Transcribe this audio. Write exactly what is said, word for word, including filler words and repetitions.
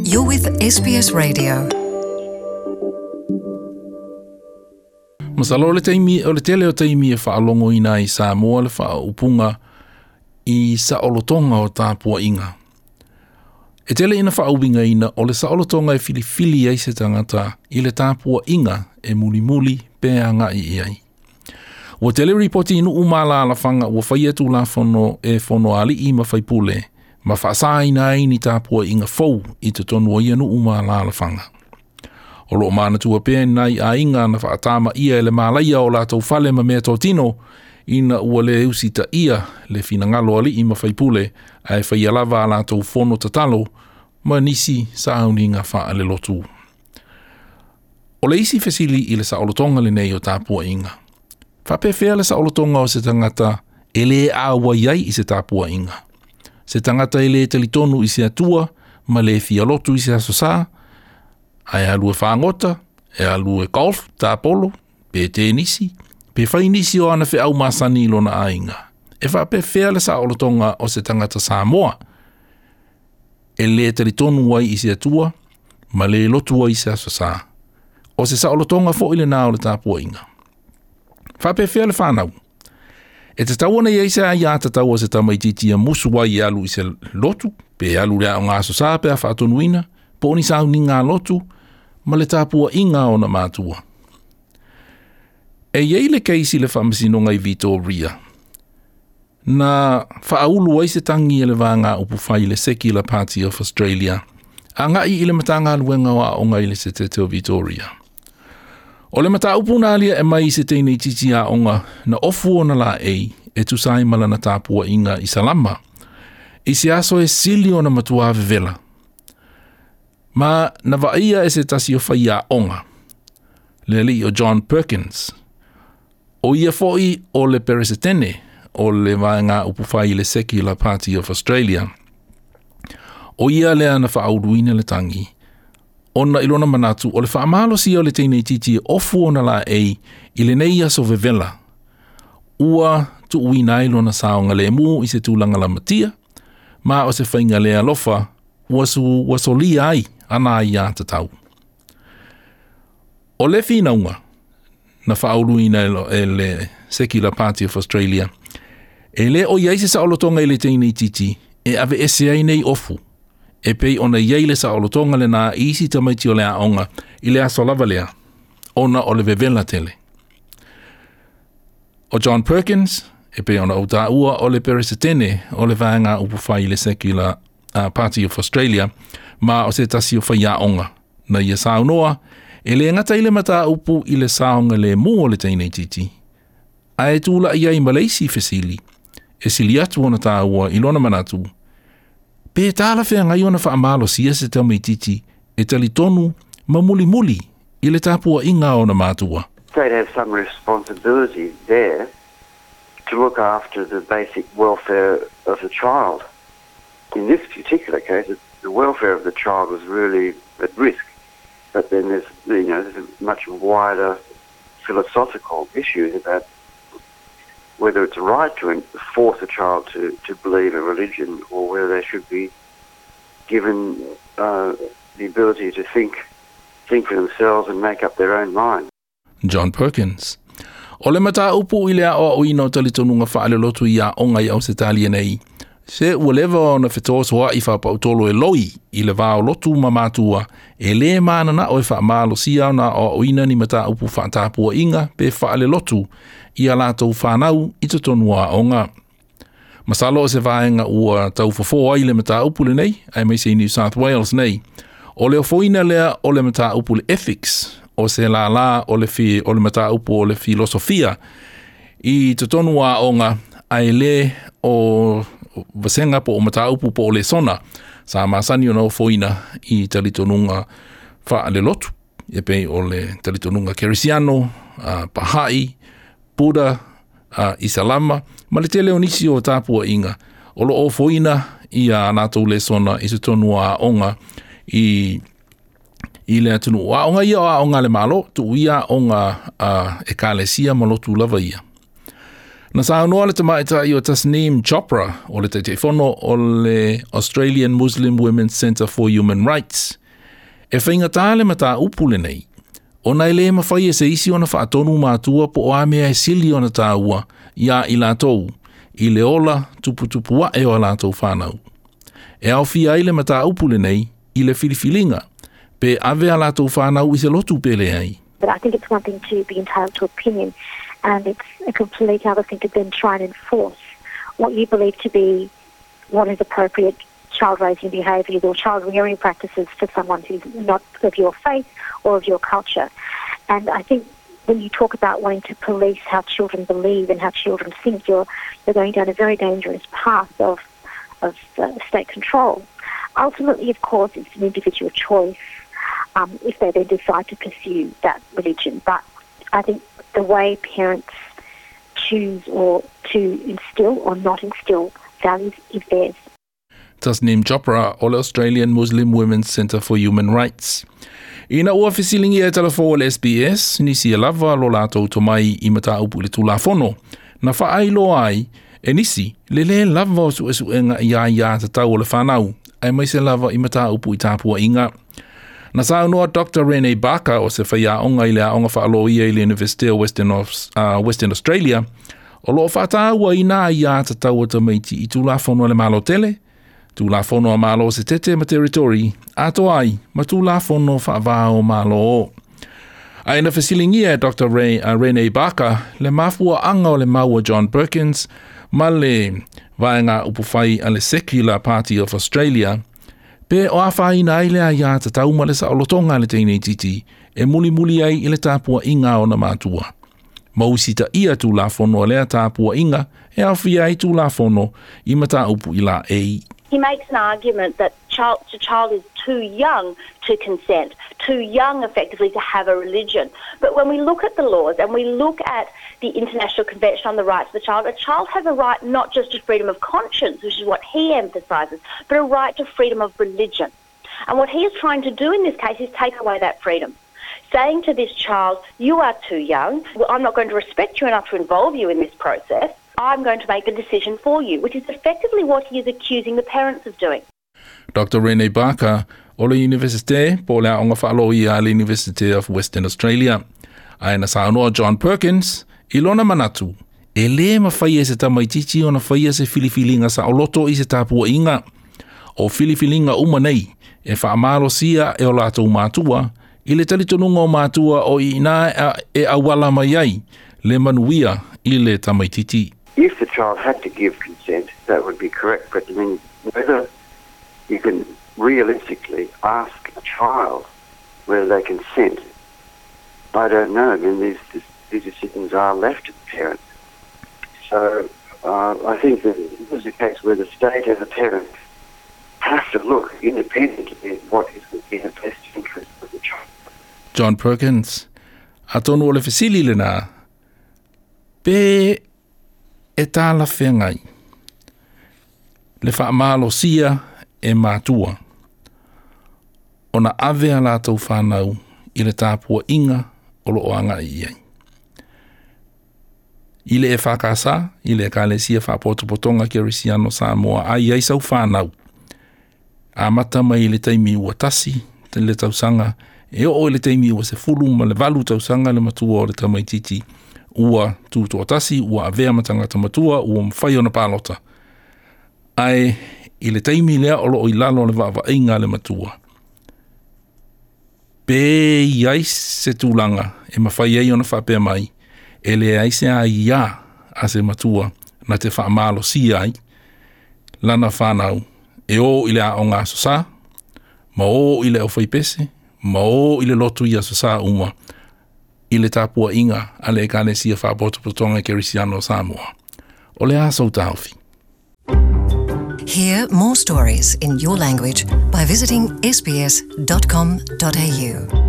You're with S B S Radio. Masalo le taimi o le tele o taimi e whaalongo ina i Samoa le whaaupunga i saolotonga o tāpuainga. E tele ina whaauwinga ina o le saolotonga e filifili ai se tangata i le tāpuainga e mulimuli pe anga i ai. Ua tele ripoti inu umala alawhanga ua whai atu la fono e fono ali'i ma whaipule, ma whaasaina ai ni tāpuainga fou i te tonu ia nu umala alawhanga. O loo mana tua pē nai a inga na whaatama ia e le malaia o lātou fale ma mea tōtino, ina ua le usita ia le finangalo ali'i ma whaipule a e whai alava a lātou fono tatalo ma nisi sauni ngā wha ale lotu. O le isi fesili i le saolotonga le nei o tāpuainga. Whapewhea le saolotonga o se tangata e le awa iai i se tāpuainga. Se tangata e le talitonu i se atua ma le fialotu i se aso sā, a e alue whangota, e alue golf, tāpolo, pe tēnisi, pe whai nisi o ana wheau masani i lona ainga. E whapewhea le saolotonga o se tangata Samoa, e le talitonu ai i se atua, ma le lotu ai i se aso sā. O se saolotonga fo i le nā o le tāpuainga. Whapewhea le whanau. E te tau ana i se ai a tatau o se tamaititi a musu ai e alu i se lotu, pe alu rea o ngā aso sā pe a whaatonuina, po ni sau ni ngā lotu, ma le tāpua i ngā ona mātua. E iei le keisi le whamasinonga i Victoria. Nā whaaulu ai se tangi e le vāngā upu whai le Secular Party of Australia, a ngai i le matanga luenga o aonga i le se te o Victoria. O le mata upu nā lia e mai i se teinei titi a onga na ofu ona la ei e tusai malana tāpua inga i salama. I se aso e sili ona matua vevela. Ma na vaia e se tasi o whai a onga. Le li o John Perkins. O ia foi o le peresetene o le vaenga upu whai le Secular Party of Australia. O ia lea na whaauruina le tangi. Ona ilona manatu o le whaamalo si o le teinei titi e ofu ona la ei i le nei aso vevela. Ua tuuina ai lona saonga le mu i se tūlanga la matia, ma o se whainga le alofa ua su ua solia ai ana ai a tatau. O le whinaunga na whaauruina e le Secular Party of Australia e le o iai se saolotonga i le teinei titi e ave ese ai nei ofu. E pei ona iei le saolotonga le nā isi tamaiti o le aonga i le aso lava lea, ona o le vevela tele. O John Perkins, e pei ona o tāua o le peresetene o le vaenga upu whai i le Secular uh, Party of Australia, ma o se tasi o whai aonga. Na ia saunoa, e le ngata i le mata upu i le saonga le mū o le teinei titi. A e tūla ia i Maleisi fesili, e sili atu ona tāua i lona manatu, pe tāla whea ngai ona whaamalo sia se tamaititi e talitonu ma muli muli i le tāpua i ngā ona mātua. They'd have some responsibility there to look after the basic welfare of the child. In this particular case, the welfare of the child was really at risk. But then there's, you know, there's a much wider philosophical issues about whether it's right to force a child to, to believe a religion or whether they should be given uh, the ability to think, think for themselves and make up their own mind. John Perkins. O le mata upu i lea o ina o talitonunga whaale lotu i a onga i Ausetalia nei. Se ua leva ona whetoa i whapautolo e loi i le vāo lotu ma mātua e le mānana o e whaamalo sia ona o oina ni mata upu whaatapua inga pe whaale lotu i a lātou whanau i te tonua onga. Masalo o se vaenga ua tau fofo ai le mata upu le nei, ai mei se New South Wales nei. O le ofoina lea o le mata upu le ethics, o se la la o le, fi, o le mata upu o le filosofia i te tonua onga ai le o vasenga po o mata upu po o le sona sa masani ona ofoina i talitonunga whaale lotu e pei o le talitonunga Kerisiano, uh, Bahai, Buddha, uh, Isalama, ma le tele o nisi o tāpua inga. O lo ofoina i a nātou le sona i se tonua onga i i le atunu. A onga ia o a onga le malo, tu ia onga uh, e kalesia ma lotu lava ia. Na saunoa le tamaitai o Tasneem Chopra o le Taitaifono o le Australian Muslim Women's Centre for Human Rights. E faigata le mataupu lenei, ona e le mafai e se isi ona faatonu matua po o a mea e sili ona taua ia i latou, i le ola tuputupu ae o a latou fanau. E aofia ai le mataupu lenei i le filifiliga, pe ave a latou fanau i se lotu pe leai. But I think it's one thing to be entitled to opinion, and it's a complete other thing to then try and enforce what you believe to be what is appropriate child raising behaviours or child rearing practices for someone who's not of your faith or of your culture. And I think when you talk about wanting to police how children believe and how children think, you're, you're going down a very dangerous path of, of uh, state control. Ultimately, of course, it's an individual choice um, if they then decide to pursue that religion. But I think the way parents choose or to instill or not instill values is theirs. Tasneem Chopra o le Australian Muslim Women's Centre for Human Rights. Ina ua fesiligia e Talafou a le S B S, nisi e lava lo latou tomai i mataupu i le Tulafono. Na faailoa ai, e nisi, le le lava o suesuega i aiatatau o le fanau, aemaise lava i mataupu i tapuaiga. Na saunoa Doctor Rene Barker o se faiaoga i le aoga faaloia i le University of Western, of, uh, Western Australia, o loo faatauaina aiatatau a tamaiti i Tulafono a le Malo tele, Tulafono a Malo Setete ma Territory, atoa ai ma Tulafono faava o Malo. Ae na fesiligia e Doctor Ray, uh, Rene Barker le mafuaaga o le mau a John Perkins ma le vaega upufai a le Secular Party of Australia pe o afaina ai le aiatatau ma le saolotoga a le teineitiiti e mulimuli ai i le tapuaiga o ona matua. Ma usitaia Tulafono a lea tapuaiga e aofia ai Tulafono i mataupu i laei. He makes an argument that child, the child is too young to consent, too young effectively to have a religion. But when we look at the laws and we look at the International Convention on the Rights of the Child, a child has a right not just to freedom of conscience, which is what he emphasises, but a right to freedom of religion. And what he is trying to do in this case is take away that freedom. Saying to this child, "You are too young, I'm not going to respect you enough to involve you in this process. I'm going to make the decision for you," which is effectively what he is accusing the parents of doing. Doctor Rene Barker o le Universite po le aoga faaloia a le University of Western Australia. Ae na saunoa John Perkins i lona manatu, e lē mafai e se tamaititi ona faia se filifiliga saoloto i se tapuaiga. O filifiliga uma nei, e faamalosia e o latou matua, i le talitonuga o matua o i ina e auala mai ai, le manuia i le tamaititi. If the child had to give consent, that would be correct. But I mean, whether you can realistically ask a child whether they consent, I don't know. I mean, these, these decisions are left to the parents. So uh, I think that this is a case where the state and the parents have to look independently at what is in the best interest of the child. John Perkins, atonu o le fesili lena, pe e talafeagai le faamalosia e matua ona ave a latou fanau i le tapuaiga o loo agai i ai. I le E F K S, i le Ekalesia Faapotopotoga Kerisiano Samoa, ai ai sau fanau. Amata mai i le taimi ua tasi, te le tausaga, e oo i le taimi ua sefulu ma le valu tausaga le matua o le tamaititi, ua tutoatasi, ua avea ma tagata matua, ua mafai ona palota. Ae i le taimi lea o loo i lalo o le vaavaaiga le matua. Pe i ai se tulaga e mafai ai ona faapea mai, e leai se aiā a se matua na te faamalosia ai lana fanau e o i le aoga Aso Sa, ma o i le aufaipese, ma o i le lotu i Aso Sa uma, i le tapuaiga a le Ekalesia Faapotopotoga Kerisiano Samoa. O le a sou taofi? Hear more stories in your language by visiting S B S dot com dot A U.